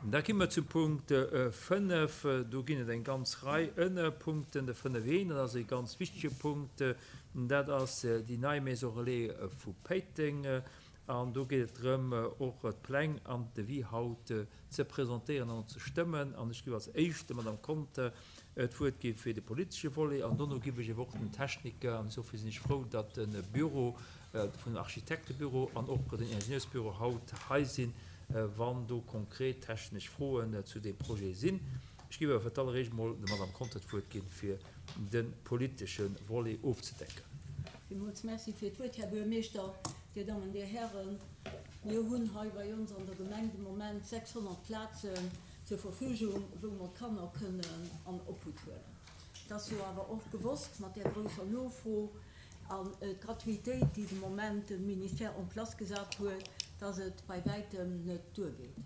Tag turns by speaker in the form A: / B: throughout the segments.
A: Da gi mer zum Punkt 5. Do ginn et eng ganz Rei Ënnerpunkten. De 5 een, dat ass e ganz wichtige Punkt, dat ass déi nei Maison relais vu Péiteng. An do geet et drëm, och d'Pläng an d'Devis haut ze presentéieren an och ze stëmmen. An ech géif als éischt der Madame Conter d'Wuert gi fir de politesche Volet an dono giff ech ewer och den Techniker, an esouvill sinn ech frou, datt de Büro vun Architektebüro an och den Ingenieursbüro haut hei sinn, wann do konkret technesch Froen zu deem Projet sinn. Ech géif awer fir d'alleréischt emol der Madame Conter d'Wuert ginn, fir de politesche Volet ofzedecken.
B: Villmools Merci fir d'Wuert, Här Buergermeeschter, Dir Dammen, Dir Hären. Mir hunn hei bei ons an der Gemeng de Moment 600 Plazen zur Verfügung, wou mer d'Kanner kënnen an Obhut huelen. Et ass jo awer och gewosst, mat där grousser Nofro an d'Gratuitéit, déi de Moment de Ministère en place gesat huet, dass et bei wäitem net duergeet.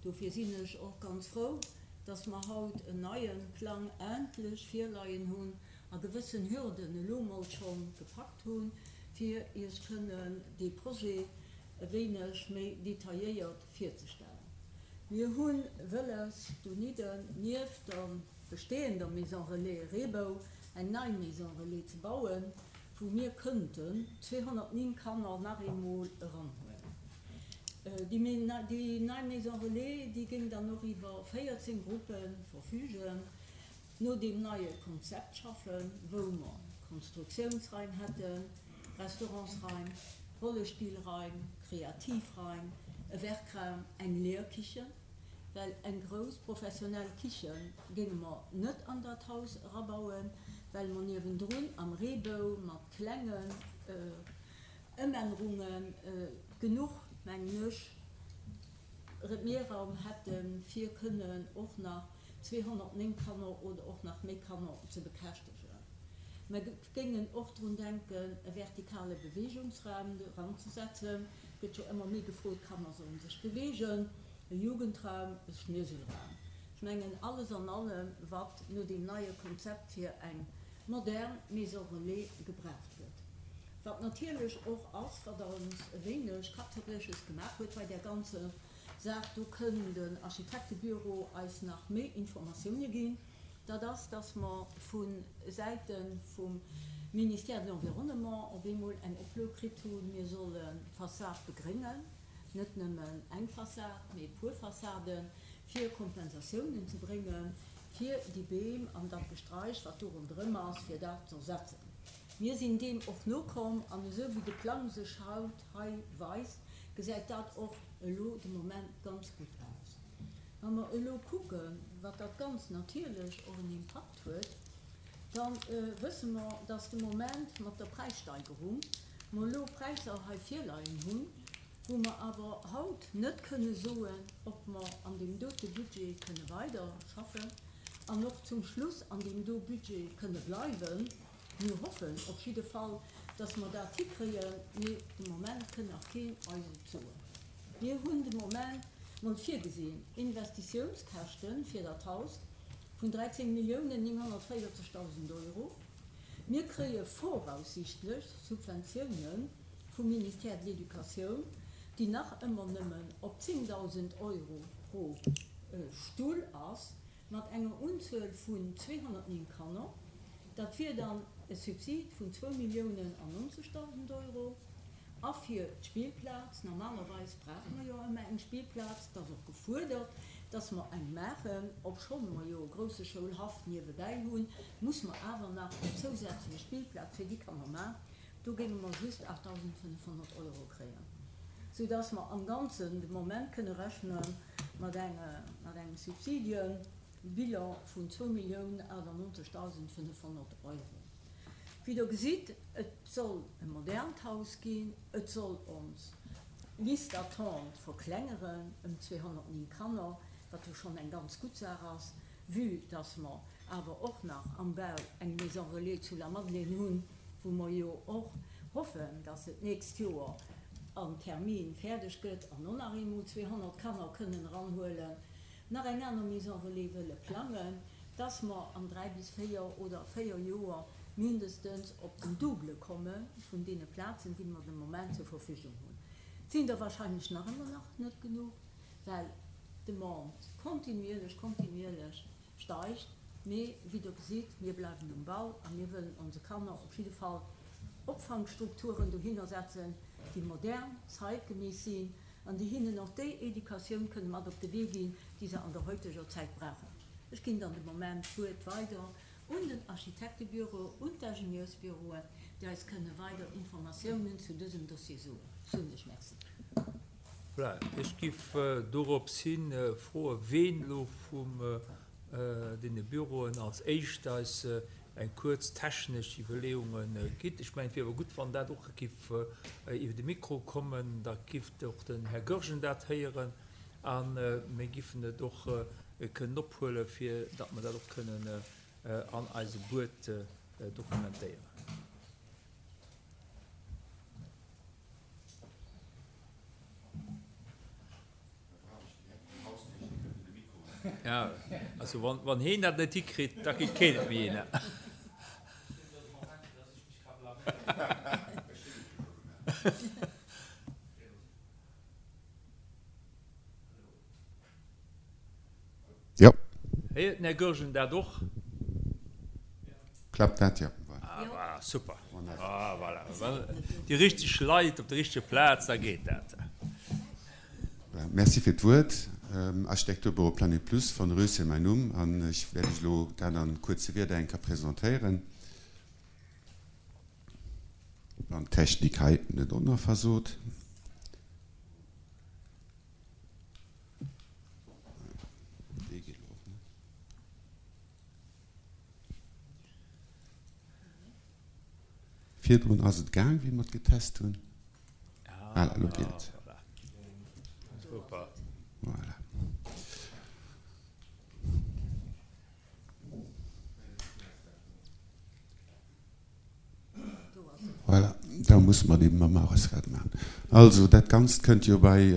B: Dofir sinn ech och ganz frou, dass mer haut en neie Plang endlech virleien hunn a gewëssen Hürden elo mol scho gepackt hunn, fir Iech kënnen dee Projet e wéineg méi detailléiert virzestellen. Mir hu wëlles, donidden nieft der bestehender Maison Relais Reebou eng nei Maison Relais ze bauen, wou mir kënnten 209 Kanner nach eemol eranhuelen. Déi nei Maison Relais, déi géing dann och iwwer 14 Gruppe verfügen, no deem neie Konzept schaffen, wou mer Konstruktiounsraim hätten, Restaurantsraim, Rollespillraim, Kreativraim, e Werkraum, eng Lehrkichen, well eng grouss professionell Kiche géinge mer net an dat Haus erabauen, well mer niewendrun am Reebou mat klengen Ëmännerunge genuch, mengen ech, Mehraum hätten, fir kënnen och nach 209 Kanner oder och nach méi Kanner ze bekäschtegen. Mer géingen och drun denken, e vertikale Beweegungsraum eranzesetzen. Et gëtt jo ëmmer méi gefrot, d'Kanner sollen sech beweegen, e Jugendraum, e Schnueselraum. Ech mengen, alles an allem, wat no deem neie Konzept fir eng modern Maison relais gebraucht gëtt. Wat natierlech och ass, wat ons e wéineg Kappzerbrieches gemaach huet bei där ganzer Saach, do kënn den Architektebüro eis nach méi Informatioune ginn, dat ass, dass mer vu Säite vum Ministère de l'Environnement op eemol eng Oplo kritt hunn, mir sollen d'Fassad begréngen, net nëmmen eng Fassad, mee e puer Fassaden, fir Kompensatiounen ze bréngen, fir déi Beem an dat Gestraich, wat do ronderëm ass, fir dat z'ersetzen. Mir sinn deem och nokomm an esou wéi de Plang sech haut hei weist, gesäit dat och elo de Moment ganz gutt aus. Wa mer elo kucken, wat dat Ganzt natierlech och en Impakt huet, da wësse mer, dass de Moment mat der Präissteigerung mer elo Präisser hei virleien hunn, wou mer awer haut net kënne soen, ob mer an deem dote Budget kënne weiderschaffen an och zum Schluss an deem do Budget kënne bleiwen. Mir hoffen op jidde Fall, dass mer dat hikréien, mee de Moment kënn nach keen eis et soen. Mir hunn de Moment mol virgesinn, Investitiounskäschte fir dat Haus vun 13 Milliounen 940.000 Euro. Mir kréie voraussichtlech Subventiounen vum Ministère de l'Éducatioun, déi nach ëmmer nëmmen op 10.000 Euro pro Stull ass. Mat enger Unzuel vun 209 Kanner, dat wier dann e Subsid vun zwou Milliounen an 90.000 Euro. A fir d'Spillplaz, normalerweis brauche mer jo ëmmer eng Spillplaz, et ass och gefuerdert, dass mer eng maachen, obschonn mer jo e grousse Schoulhaff niewebäi hunn, muss mer awer nach eng zousätzlech Spillplaz fir déi Kanner maachen. Do géinge mer just 8.500 Euro kréien, soudass mer am Ganzen de Moment kënne rechne mat engem Subsidiebilan vun 2.098.500 Euro. Wéi Der gesitt, et soll e modernt Haus ginn, et soll ons Liste d'attente verklengeren ëm 209 Kanner, wat jo schonn eng ganz gutt Saach ass, vue dass mer awer och nach am Bau eng Maison relais zu Lamadelaine hunn, wou mer jo och hoffen, dass se d'nächst Joer am Termin fäerdeg gëtt an och nach eemol 200 Kanner kënnen eranhuelen, nach eng aner Maison relais wëlle plangen, dass mer an dräi bis véier oder véier Joer mindestens op den Double komme vun deene Plazen, déi mer de Moment zur Verfügung hunn. Et sinn der wahrscheinlech nach ëmmer nach net genuch, well. D'Demande kontinuierlech, kontinuierlech steigt. Mee wéi Der gesitt, mir bleiwen um Ball a mir wëllen onse Kanner op jidde Fall Opfangstrukturen dohinner setzen, déi modern, zeitgemäss sinn an déi hinnen och déi Educatioun kënne mat op de Wee ginn, déi se an der heuteger Zäit brauchen. Ech ginn dann de Moment d'Wuert weider un den Architektebüro, un d'Ingenieursbüroen, déi eis kënne weider Informatiounen zu dësem Dossier soen. Soen ech Merci.
A: Voilà, ech giff dorops hi froen, ween elo vum deene Büroen als éischt eis eng kuerz technesch Iwwerleeunge gitt. Ech mengen, et wier awer gutt, wann dat och giff iwwer de Mikro kommen, da giff och den Här Goergen dat héieren a mir giffen et och kënnen ophuelen, fir datt mer dat och kënnen an eise Buet dokumentéieren. Ja, also wann, wann heen dat net hikritt, da kritt keen et méi hin.
C: Jo.
A: Héiert den Här Goergen dat och?
C: Klappt dat? Jo.
A: Ah voilà, super. Ah voilà, déi richteg Leit op der richteger Plaz, da geet dat.
C: Merci fir d'Wuert. Architekturbüro Planet Plus, von Röschen mäin Numm an ech wäert Iech elo dat an kuerze Wierder eng Kéier presentéieren, wann d'Technik hei net och nach versot. Dee geet elo och net. Virdrun ass et gaang, wéi mer et getest hunn. Voilà, elo geet et. Voilà. Voilà, da musse mer et eben mam Aresrad maachen. Also, dat Ganzt kënnt jo bei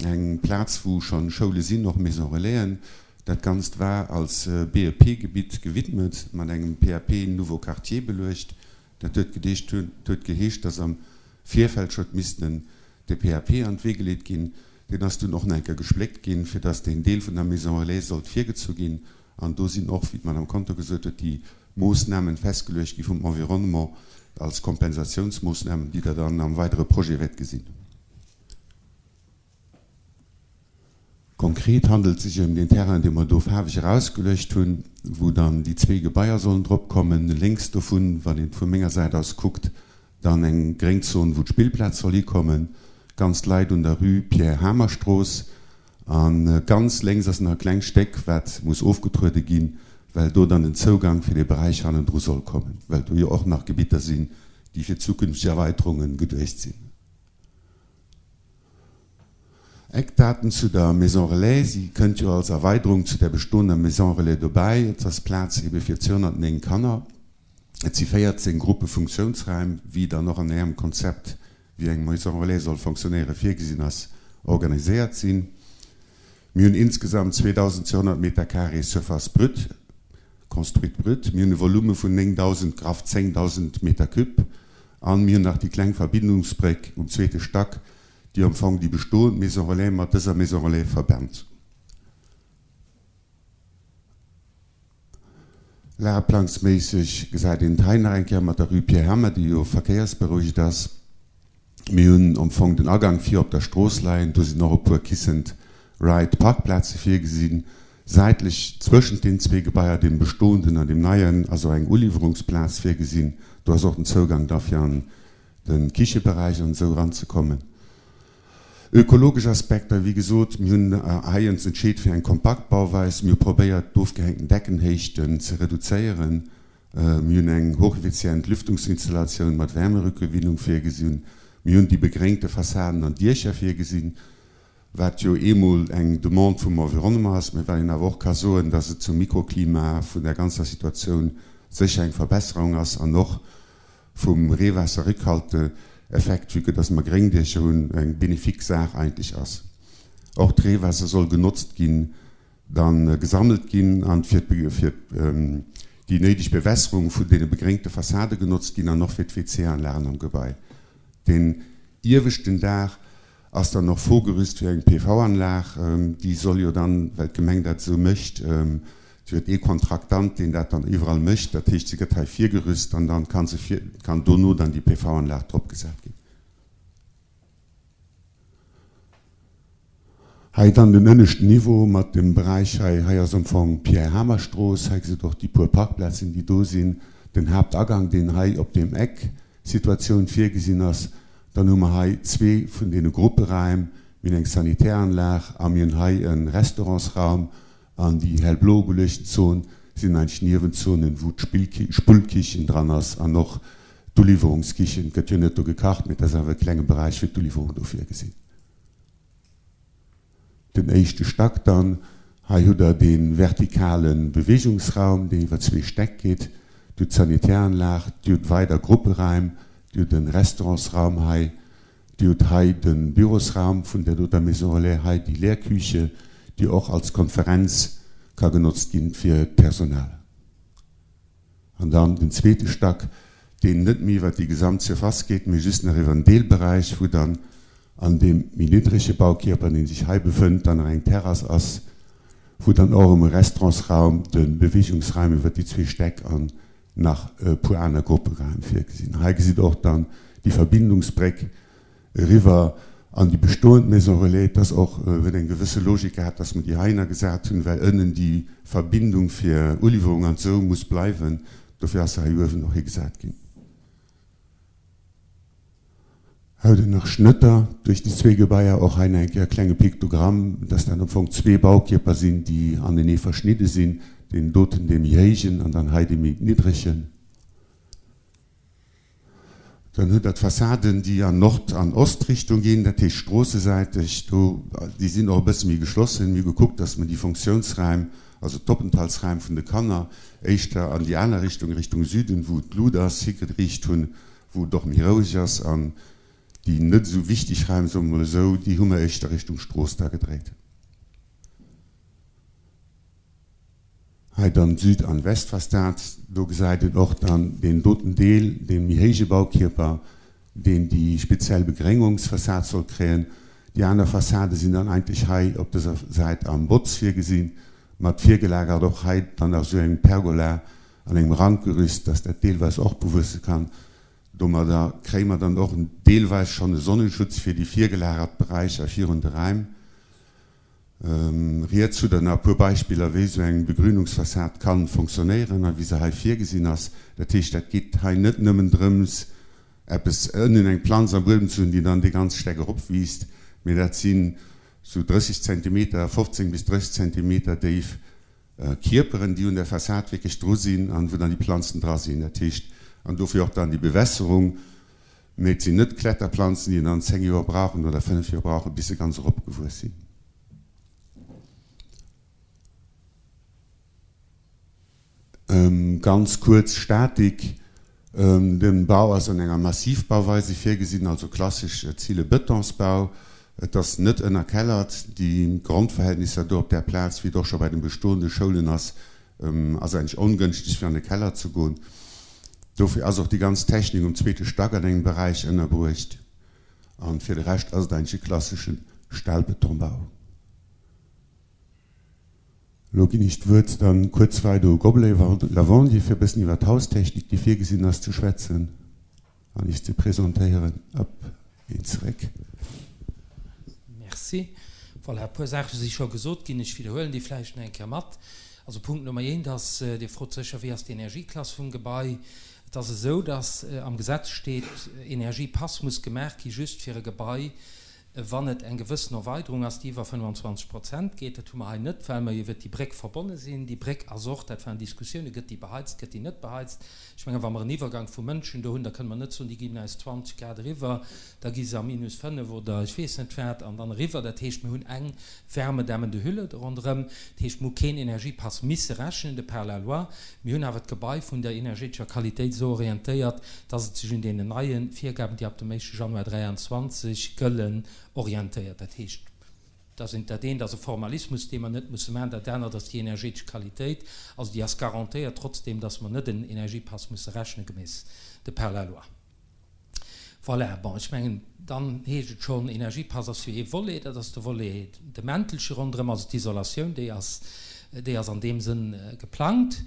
C: eng Plaz, wou schonn Schoule sinn, och Maison Relaisen. Dat Ganzt war als BEP-Gebitt gewidmet, mat engem PAP Nouveau Quartier beluecht. Dat huet gedeescht, huet geheescht, dass am Virfeld scho missten de PAP an d'Wee geleet ginn. Deen ass dunn och nach eng Kéier gespléckt ginn, fir dass deen Deel vun der Maison Relais sollt virgezu ginn. An do sinn och, wéi d'Madame Conter gesot huet, déi Moossnamen festgeluecht gi vum Environnement als Kompensatiounsmoossnamen, déi Der dann am weidere Projet wäert gesinn. Konkret handelt et sech ëm deen Terrain, dee mer do faarweg erausgeluecht hunn, wou dann déi zwee Gebaier sollen drop kommen. Lénks dovun, wann een et vu menger Säit aus kuckt, dann eng Gréngzon, wou d'Spillplaz soll hikommen, ganz leit un der Rue Pierre Hamer-Strooss. A ganz lénks ass nach e klengt Stéck, wat muss ofgetruede ginn, well do dann den Zougang fir dee Beräich hannendru soll kommen, well do jo och nach Gebitter sinn, déi fir zukünfteg Erweiterunge geduecht sinn. Eckdaten zu der Maison Relais, Si kënnt jo als Erweiderung zu der bestoender Maison Relais dobäi. Et ass Plaz ebe fir 209 Kanner. Et si 14 Gruppefunktiounsraim, wéi dann och an Ärem Konzept, wéi eng Maison Relais soll fonctionnéieren, virgesinn ass, organiséiert sinn. Mir hunn insgesamt 2.200 Meter carré Surface brute, construite brute. Mir hunn e Volume vun 9.000, graff 10.000 Meter cube. An mir hunn nach déi kleng Verbindungsbréck um zweete Stack, déi am Fong déi bestoend Maison Relais mat dëser Maison Relais verbennt. Lageplangsméisseg gesäit een et hei nach eng Kéier mat der Rue Pierre Hammer, déi jo verkéiersberouegt ass. Mir hunn am Fong den Agang vir op der Strooss leien. Do sinn och e puer Kiss and Ride Parkplaze virgesinn. Säitlech zwëschent den zwee Gebaier, deem bestoenden an deem neien, ass och eng Uliwwerungsplaz virgesinn. Do ass och den Zougang da fir an de Kicheberäich an esou eranzekommen. Ökologesch Aspekter, Wéi gesot, mir hunn hei ons entscheet fir eng kompakt Bauweis. Mir hu probéiert, d'ofgehängten Deckenhéichten ze reduzéieren. Mir hunn eng hocheffizient Lüftungsinstallatioun mat Wärmerückgewinnung virgesinn. Mir hunn déi begréngte Fassaden an Diecher virgesinn, wat jo eemol eng Demande vum Environnement ass, mä wat een awer och ka soen, dass et zum Mikroklima vun der ganzer Situatioun sécher eng Verbesserung ass an och vum Reewaasserrückhalteeffekt, vue que dass mer Gréngdiecher hunn, eng bénéfique Saach eigentlech ass. Och d'Reewaasser soll genotzt ginn, da gesammelt ginn an fir déi néideg Bewässerung vun deene begréngte Fassade genotzt ginn an och fir d'WC-Anlagen am Gebai. Deen ieweschten Daach. Ass dann och vorgerüst fir eng PV-Anlag. Déi soll jo dann, well d'Gemeng dat esou mécht, si huet ee Kontraktant, deen dat dann iwwerall mécht, dat heescht, se gëtt hei virgerüst an dann ka se vir, kann dono dann déi PV-Anlag drop gesat ginn. Hei dann den ënneschten Niveau mat dem Beräich hei. Hei ass am Fong d'Pierre-Hamer-Strooss. Hei gesitt och déi puer Parkplazen, déi do sinn. Den Haaptagang, deen hei op deem Eck Situatioun virgesinn ass. Dann hu mer hei zwee vun deene Grupperaim. Mir hunn eng Sanitäranlag a mir hunn hei e Restaurantsraum. An déi hellblo ugeluechten Zon sinn eigentlech Niewenzonen, wou d'Spullkichen dran ass an och d'Uliwwerungskichen. Et gëtt jo net do gekacht, mee et ass awer e klenge Beräich fir d'Uliwwerung do virgesinn. Den éischte Stack dann, hei hutt Der dee vertikale Beweegungsraum, deen iwwer zwee Stäck geet. Dir hutt d'Sanitäranlag, Dir hutt weider Grupperaim, Dir hutt e Restaurantsraum hei, Dir hutt hei de Bürosraum vun der doter Maison Relais, hei déi Lehrküche, déi och als Konferenz ka genotzt ginn fir d'Personal. An dann den zweete Stack, deen net méi iwwert déi gesamt Surface geet, mee just nach iwwer en Deelberäich, wou dann an deem méi niddrege Baukierper, dee sech hei befënnt, dann nach eng Terrass ass, wou dann och erëm e Restaurantsraum, de Beweegungsraum iwwert déi zwee Stäck an nach e puer aner Grupperaim virgesinn. Hei gesitt Der och dann déi Verbindungsbréck eriwwer an déi bestoend Maison relais. Et ass och, huet eng gewësse Logik gehat, dass mer déi heihinner gesat hunn, well ënnen déi Verbindung fir Uliwwerung an esou muss bleiwen. Dofir ass se hei uewen och higesat ginn. Hei hutt Der nach Schnëtter duerch déi zwee Gebaier, och hei nach eng Kéier e klenge Piktogramm, dass dat am Fong zwee Baukierper sinn, déi anenee verschnidde sinn, deen doten dee méi héijen an dann hei dee méi niddregen. Dann hutt Der d'Fassaden, déi an Nord an Ostrichtung ginn, dat heescht stroossesäiteg. Do, déi sinn och e bësse méi geschlossen. Mir hu gekuckt, dass mer déi Fonctiounsräim, also d'Openthaltsräim vun de Kanner, éischter an déi aner Richtung, Richtung Süden, wou d'Lut ass, higeriicht hunn, wou et och méi roueg ass. An déi net esou wichteg Räim, soe mer mol esou, déi hu mer éischter Richtung Strooss da gedréit. Hei dann d'Süd an Westfassad. Do gesäit een och dann deen doten Deel, dee méi héije Baukierper, deen déi speziell Begréngungsfassad soll kréien. Déi aner Fassade sinn dann eigentlech hei op dëser Säit am Botz virgesinn, mat virgelagert och hei dann nach esou engem Pergola an engem Rankgerüst, dass dat deelweis och bewuesse kann. Domadder kréie mer dann och deelweis schonn e Sonnenschutz fir déi virgelagert Beräicher virun de Räim. Riets hutt der nach e puer Beispiller, wéi esou eng Begrünungsfassad kann fonctionnéieren a wéi se hei virgesinn ass. Dat heescht, dat geet hei net nëmmen drëms, eppes ënnen, eng Planz am Buedem ze hunn, déi dann dee ganz Steck eropwiisst, mee dat sinn esou 30 Zentimeter, 15 bis 30 Zentimeter déif Kierperen, déi un der Fassad wierklech dru sinn an wou dann déi Planzen dra sinn. Dat heescht, an dofir och dann déi Bewässerung. Mee et sinn net Kletterplanzen, déi dann 10 Joer brauchen oder 5 Joer brauchen, bis se ganz eropgewuess sinn. Ganz kuerz Statik, De Bau ass an enger Massivbauweise virgesinn, also klassesch Zillebëtonsbau. Et ass net ënnerkellert. Déi Grondverhältnisser do op där Plaz, wéi et och scho bei den bestoende Schoulen ass, ass eigentlech ongënschteg fir an de Keller ze goen. Dofir ass och déi ganz Technik um zweete Stack an engem Beräich ënnerbruecht. An fir de Rescht ass et eigentlech e klassesche Stahlbetonbau. Elo ginn ech d'Wuert dann kuerz weider u Gobelet Lavandier fir e bëssen iwwer d'Haustechnik, déi virgesinn ass, ze schwätzen an iech ze presentéieren. Op een zeréck.
D: Merci. Voilà, e puer Saache si scho gesot ginn. Ech widderhuelen déi vläicht nach eng Kéier mat. Also Punkt Nummer eent ass, Dir frot sécher, Wéi ass d'Energieklass vum Gebai? Et ass esou, dass am Gesetz steet, Energiepass muss gemaach gi just fir e Gebai, wann et eng gewëssen Erweiderung ass, déi iwwer 25 Prozent geet. Dat hu mer hei net, well mer iwwert déi Bréck verbonne sinn. Déi Bréck ass och, dat waren Diskussiounen, gëtt déi beheizt, gëtt déi net beheizt? Ech mengen, wa mer en Iwwergang vu Mënschen do hunn, da kënne mer net soen, déi ginn aus 20 Grad eriwwer, da gi se a minus 5 oder ech weess net wat an dann eriwwer. Dat heescht, mir hunn eng wärmedämmende Hülle do ronderëm. Dat heescht, mir hu keen Energiepass misse rechnen de par la loi. Mir hunn awer d'Gebai vun der energetescher Qualitéit esou orientéiert, dass et sech un deenen neie Virgaben, déi ab dem éischte Januar 23 gëllen, orientéiert. Dat heescht, dat eent, dat eent ass e Formalismus, dee mer net musse maachen, dat anert ass déi energetesch Qualitéit. Also déi ass garantéiert, trotzdeem dass mer net en Energiepass musse rechnen, gemäss de par la loi. Voilà, bon, ech mengen, dann heescht et schonn, Energiepass ass jo ee Volet, dat ass de Volet, de Mäntelche ronderëm, also d'Isolatioun, déi ass, déi ass an deem Sënn geplangt.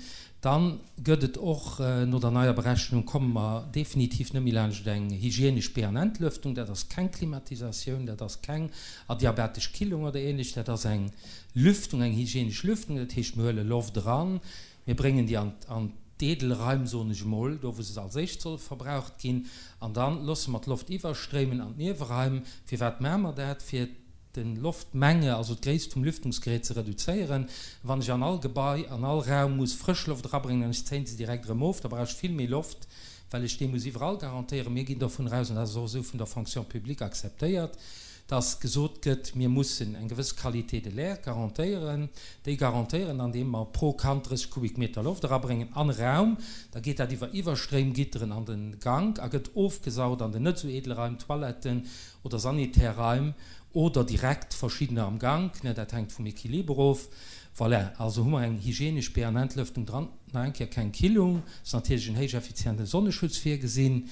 D: Dann gëtt et och, no der neier Berechnung komme mer definitiv net méi laanscht eng hygienesch Be an Entlëftung. Dat ass keng Klimatisatioun, dat ass keng adiabatesch Killung oder Ähnleches, dat ass eng Lüftung, eng hygienesch Lüftung. Dat heescht, mir huele Loft eran, Mir bréngen déi an d'Edelraim, soen ech emol, do wou se als éischt soll verbraucht ginn, an da loosse mer d'Loft iwwerstréimen an d'Nieweraim. Firwat maache mer dat? Fir de Loftmenge, also d'Gréisst vum Lüftungsgerät ze reduzéieren. Wann ech an all Gebai, an all Raum muss frësch Loft erabréngen an ech zéien se direkt erëm of, da brauch ech vill méi Loft, well ech déi muss iwwerall garantéieren. Mir ginn dovun aus, an dat ass och esou vun der Fonction publique akzeptéiert, dass gesot gëtt, mir mussen eng gewëss Qualité de l'air garantéieren, déi garantéieren, andeem mer pro Kand 30 Kubikmeter Loft erabréngen an e Raum, da geet dat iwwer Iwwerstréimgitteren an de Gank a gëtt ofgesaugt an den net esou edle Raim, Toiletten oder sanitär Raim oder direkt verschiddener am Gank, dat hänkt vum Equiliber of. Voilà, also hu mer eng hygienesch Be an Entlëftung dran, nach eng Kéier keng Killung, ass natierlech en héich effiziente Sonneschutz virgesinn.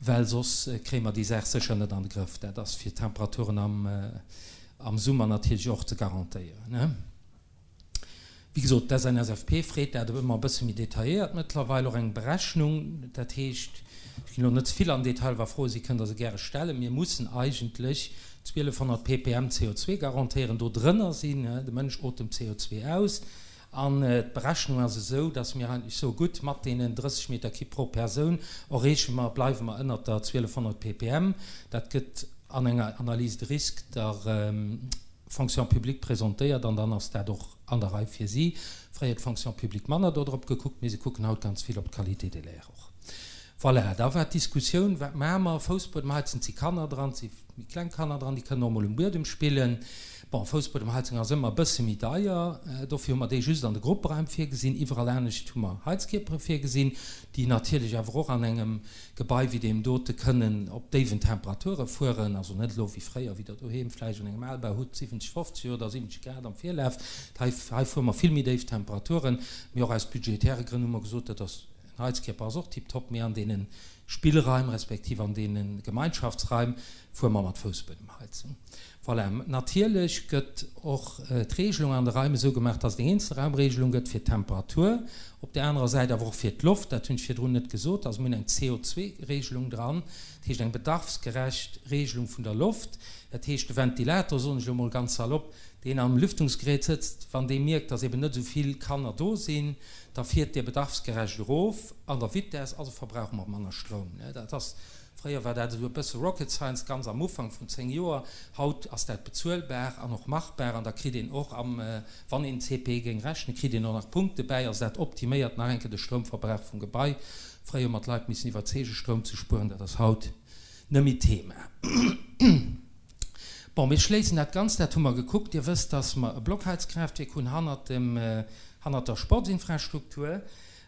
D: Well soss kréie mer déi Saach sécher net an de Grëff. Dat ass fir d'Temperaturen am Summer natierlech och ze garantéieren. Wéi gesot, d'SNSFP freet dat ëmmer e bësse méi detailléiert mëttlerweil, och eng Berechnung. Dat heescht, ech ginn elo net ze vill an den Detail, wa Froe si kënnt Der se gäre stellen. Mir mussen eigentlech 1200 ppm CO2 garantéieren. Do drënner sinn, de Mënsch otemt CO2 aus. An d'Berechnung ass esou, dass mir eigentlech soe gutt, mat deenen 30 Meter Kibb pro Persoun erreeche mer, bleiwe mer ënnert der 1200 ppm. Dat gëtt an enger Analyse de risque der Fonction publique presentéiert an dann ass dat och an der Rei fir si. Fréier huet d'Fonction publique manner do drop gekuckt, mee se kucken haut ganz vill op d'Qualité de l'air och. Voilà, da war d'Diskussioun, wat maache mer? Foussbuedemheizen, et si Kanner dran, et si méi kleng Kanner dran, déi kënnen och emol um Buedem spillen. Bon, Foussbuedemheizung ass ëmmer e bësse méi deier, dofir hu mer déi just an de Grupperaim virgesinn. Iwwerall anescht hu mer Heizkierpere virgesinn, déi natierlech awer och an engem Gebai wéi deem dote kënnen op déiwen Temperature fueren, also net elo wéi fréier, wéi Der doheem vläicht an engem Albau hutt, 70, 50 oder 70 Grad am Virlaf. Hei, hei fuere mer vill méi déif Temperaturen. Mee och aus budgetäre Grënn hu mer gesot, dat ass, en Heizkierper ass och tiptop, mee an deene Spillraim respektiv an deene Gemeinschaftsraim fuere mer mat Foussbuedemheizung. Voilà, natierlech gëtt och d'Regelung an de Raim esou gemaach, dass et eng Eenzelraumregelung gëtt fir d'Temperatur, op där anerer Säit awer och fir d'Loft, dat hunn ech virdrun net gesot, also mir hunn eng CO2-Regelung dran, dat heescht eng bedarfsgerecht Regelung vun der Loft. Dat heescht, de Ventilator, soen ech elo mol ganz salopp, deen am Lüftungsgerät sëtzt, wann dee mierkt, dass eben net esou vill Kanner do sinn, da fiert dee bedarfsgerecht erof an der Vitess, also verbrauche mer manner Stroum. Dat ass Fréier war dat esou e bësse Rocket Science, ganz am Ufank, vrun 10 Joer. Haut ass dat bezuelbar an och machbar an da kritt een och am, wann een CPE géing rechnen, kritt een och nach Punkte bäi. Also dat optiméiert nach eng Kéier de Stroumverbrauch vum Gebai. Fréier hu mer d'Leit missen iwwerzeegen, Stroum ze spueren, dat ass haut net méi d'Thema. Bon, mir schléissen dat Ganzt, dat hu mer gekuckt. Dir wësst, dass mer e Blockheizkraaftwierk hunn hannert dem, hannert der Sportsinfrastruktur.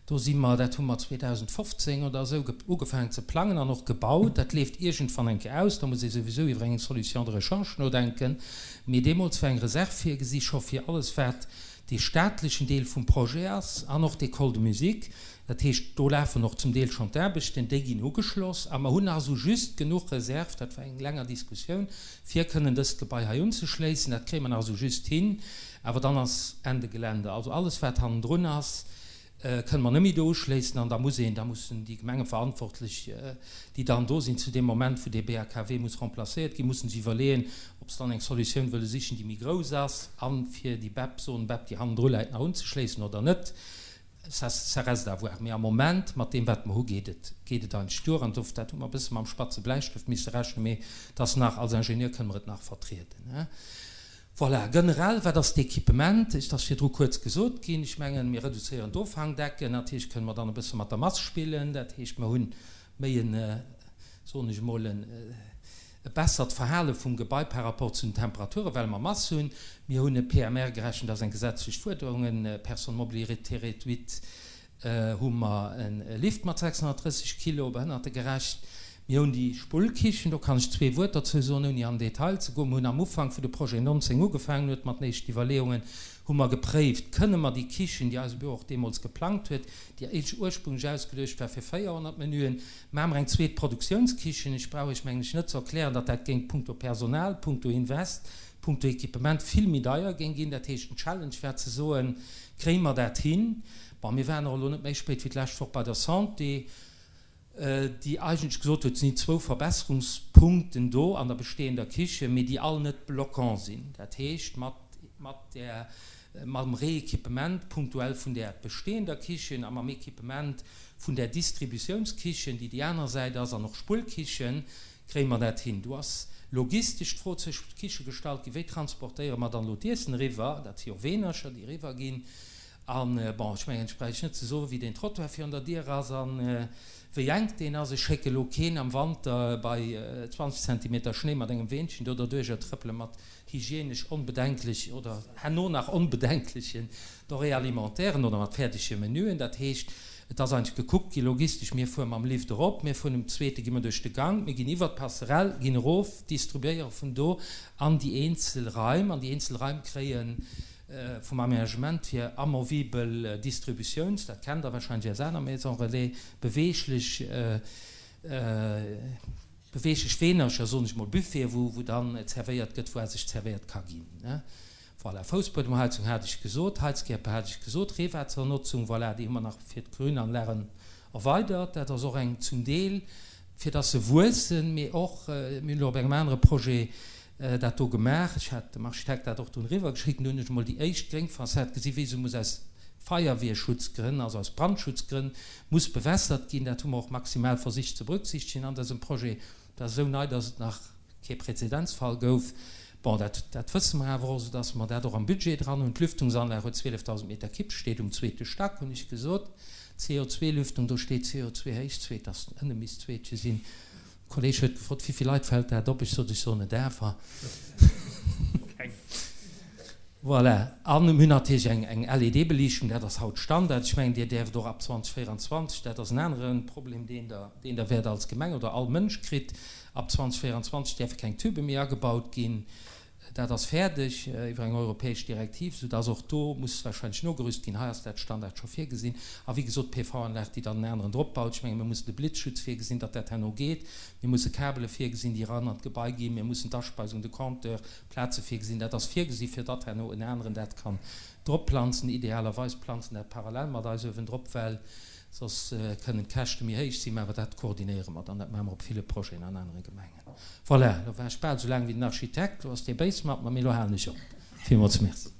D: Do si mer, dat hu mer 2015 oder esou ugefaangen ze plangen an och gebaut. Dat leeft iergendwann eng Kéier aus, da muss ee souwisou iwwer eng Solution de rechange nodenken. Mee deemools war eng Reserv virgesi scho fir alles, wat dee staatlechen Deel vum Projet ass an och d'École de musique. Dat heescht, do lafen och zum Deel schonn d'Aarbechten, déi ginn ugeschloss. A mer hunn nach esou just genuch Reserv, dat war eng länger Diskussioun, fir kënnen dëst Gebai hei unzeschléissen. Dat kréie mer nach esou just hin, awer dann ass Ende Gelände. Also alles, wat hannendrun ass, kënne mer net méi do uschléissen an da muss een, da mussen déi Gemengeverantwortlech, déi dann do sinn zu deem Moment, wou dee BHKW muss remplacéiert ginn, mussen sech iwwerleeën, ob se dann eng Solutioun wëlle sichen, déi méi grouss ass a fir déi BEP, Zone BEP, déi hannendru läit, nach unzeschléissen oder net. Ça, ça reste à voir. Mee am Moment, mat deem wat mer hu, geet et, geet et eigentlech duer an dof, dat hu mer e bësse mam spatze Bläistëft misse rechnen, mee et ass nach, als Ingenieur kënne mer et nach vertrieden. Voilà, generell, wat ass d'Equipement? Et ass virdru kuerz gesot ginn. Ech mengen, mir reduzéieren d'Offangdecken. Natierlech kënne mer dann e bësse mat der Mass spillen. Dat heescht, mer hunn méi en, soen ech emol, e bessert Verhale vum Gebai par rapport zu den Temperaturen, well mer Mass hunn. Mir hunn e PMR gerechent, dat ass eng gesetzlech Fuerderung, e Personne mobilité réduite, hu mer e Lift mat 630 Kilo, behënnertegerecht. Mir hunn déi Spullkichen, do kann ech zwee Wuert dozou soen, ouni an den Detail ze goen. Mir hunn am Ufank, wou de Projet 19 ugefaangen huet mat den éischten Iwwerleeungen, hu mer gepréift, kënne mer déi Kichen, déi eise Büro och deemools geplangt huet, déi éisch ursprünglech ausgeluecht war fir 400 Menüen, maache mer eng zweet Produktiounskichen. Ech brauch Iech, mengen ech, net ze erklären, datt dat géing punkto Personal, punkto Invest, punkto Equipement vill méi deier géing ginn. Dat heescht, den Challenge war ze soen, Kréie mer dat hin? Bon, mir waren och elo net méi spéit wéi d'lescht Woch bei der Santé. déi eigentlech gesot huet, et sinn zwou Verbesserungspunkten do an der bestehender Kichen, mee déi all net bloquant sinn. Dat heescht, mat, mat där, mam Rééquipement punktuell vun där bestehender Kichen a mam Équipement vun där Distributiounskichen, déi déi aner Säit ass, an och Spullkichen, kréie mer dat hin. Do ass logistesch d'Fro zwëschent d'Kiche gestallt ginn, Wéi transportéiere mer dann elo d'Iessen eriwwer? Dat si jo Weenercher, déi eriwwer ginn. An, bon, ech mengen, ech bräicht net ze soen, wéi deen Trottoir virun der Dier ass a wéi enk deen ass. Ech schécke lo keen am Wanter bei 20 Zentimeter Schnéi mat engem Weenchen do derduercher trëppele mat hygienesch onbedenklech oder herno nach onbedenklechen Denrées alimentairen oder mat fäerdege Menüen. Dat heescht, et ass eigentlech gekuckt gi logistesch, mir fuere mam Lift erop, mir fueren um zweete gi mer duerch de Gank, mir ginn iwwert d'Passerelle, ginn erof, distribuéiere vun do an déi eenzel Raim an déi eenzel Raim kréien Vum Aménagement hier amovibel Distributiouns, dat kennt Der wahrscheinlech aus aner Maisons relais, beweeglech, beweeglech Weenercher, soen ech mol, Buffeten, wou, wou dann zerwéiert gëtt, wou sech zerwéiert ka ginn. Voilà, Foussbuedemheizung hat ech gesot, Heizkierper hat ech gesot, Reewaassernotzung, voilà, déi hu mer nach fir d'Grünanlagen erweidert. Dat ass och eng zum Deel, fir dass se wuessen, mee och, mir hunn elo op engem anere Projet dat do gemaach. Ech hat dem Architekt dat och dunn eriwwer geschéckt an do hunn ech emol déi éischt gréng Fassad gesi wéi se muss aus Feierwierschutzgrënn, also aus Brandschutzgrënn, muss bewässert ginn. Dat hu mer och maximal versicht ze berücksichtegen an dësem Projet. Dat ass esou nei, dass et nach kee Präzedenzfall gouf. Bon, dat, dat wësse mer awer och, soudass mer dat och am Budget dran hunn. D'Lüftungsanlag huet 12.000 Meter Kipp, steet um zweete Stack, hunn ech gesot. CO2-Lüftung, do steet CO2 héich zweet, dass ënne misst zweetche sinn. Kolleg huet gefrot, Wéivill Leit fält dat op? Ech sot, Ech soen et awer.
A: Keng.
D: Voilà. A mir hunn natierlech eng, eng LED-Beliichtung, dat ass haut Standard. Ech mengen, Dir däerft och ab 2024, dat ass en anere Problem, deen Der, deen Der wäert als Gemeng oder all Mënsch kritt, ab 2024 däerfe keng Tübe méi agebaut ginn. Dat ass fäerdeg iwwer eng europäesch Direktiv, soudass och do muss wahrscheinlech nogerüst ginn. Hei ass dat Standard scho virgesinn. A wéi gesot, d'PV-Anlag, déi dann en aneren drop baut. Ech menge mir mussen de Blitzschutz virgesinn, datt dat herno geet. Mir musse Kabele virgesinn, déi eran an d'Gebai ginn. Mir mussen d'Aspeisung, de Compteur, Plaze virgesinn. Dat ass virgesi fir datt herno en aneren dat kann drop planzen. Idealerweis planzen dat parallel mat eis uewendrop, well soss kënnen d'Käschte méi héich sinn. Mä awer dat koordinéiere mer dann. Dat maache mer op ville Projeten an anere Gemengen. Voilà, lo war ech bal esou laang wéi den Architekt, lo ass dee béis mat mer, mee lo halen ech op. Villmools Merci.